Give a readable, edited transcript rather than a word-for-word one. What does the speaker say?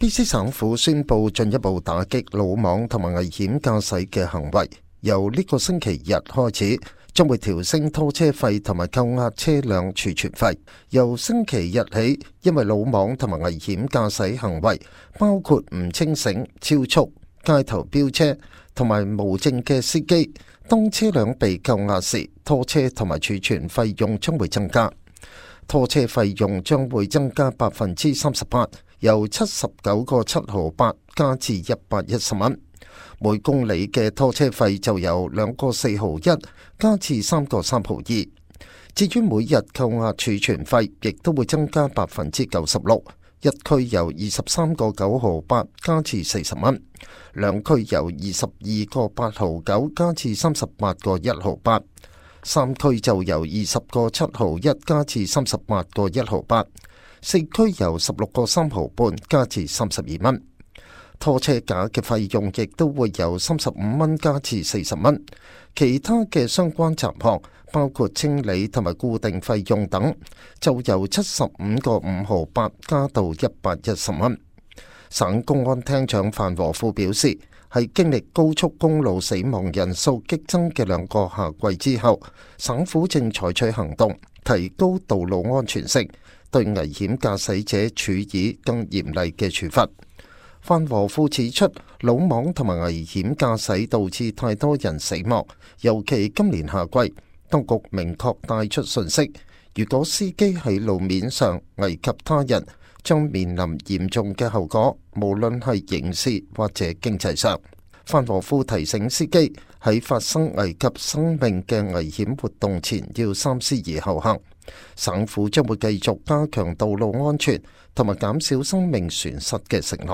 BC 省府宣布進一步打擊魯莽同埋危險駕駛嘅行為，由呢個星期日開始，將會調升拖車費同埋扣押車輛儲存費。由星期日起，因為魯莽同埋危險駕駛行為，包括唔清醒、超速、街頭飆車同埋無證嘅司機，當車輛被扣押時，拖車同埋儲存費用將會增加。拖車費用將會增加38%，由79個7毫8加至110蚊。每公里嘅拖車費就由2個4毫1加至3個3毫2。至於每日扣押儲存費，亦都會增加96%，一區由23個9毫8加至40蚊，兩區由22個8毫9加至38個1毫8。三區就由20個7毫1加至38個1毫8，四區由16個3毫半加至32蚊。拖車架嘅費用亦都會由35蚊加至40蚊，其他嘅相關雜項包括清理同埋固定費用等，就由75個5毫8加到110蚊。省公安廳長范和富表示，係經歷高速公路死亡人數激增嘅2個夏季之後，省府正採取行動，提高道路安全性，對危險駕駛者處以更嚴厲嘅處罰。范和富指出，魯莽同埋危險駕駛導致太多人死亡，尤其今年夏季，當局明確帶出訊息，如果司機喺路面上危及他人，將面臨嚴重嘅後果，無論係刑事或者經濟上。范和富提醒司機喺發生危及生命嘅危險活動前，要三思而後行。省府將會繼續加強道路安全同埋減少生命損失嘅承諾。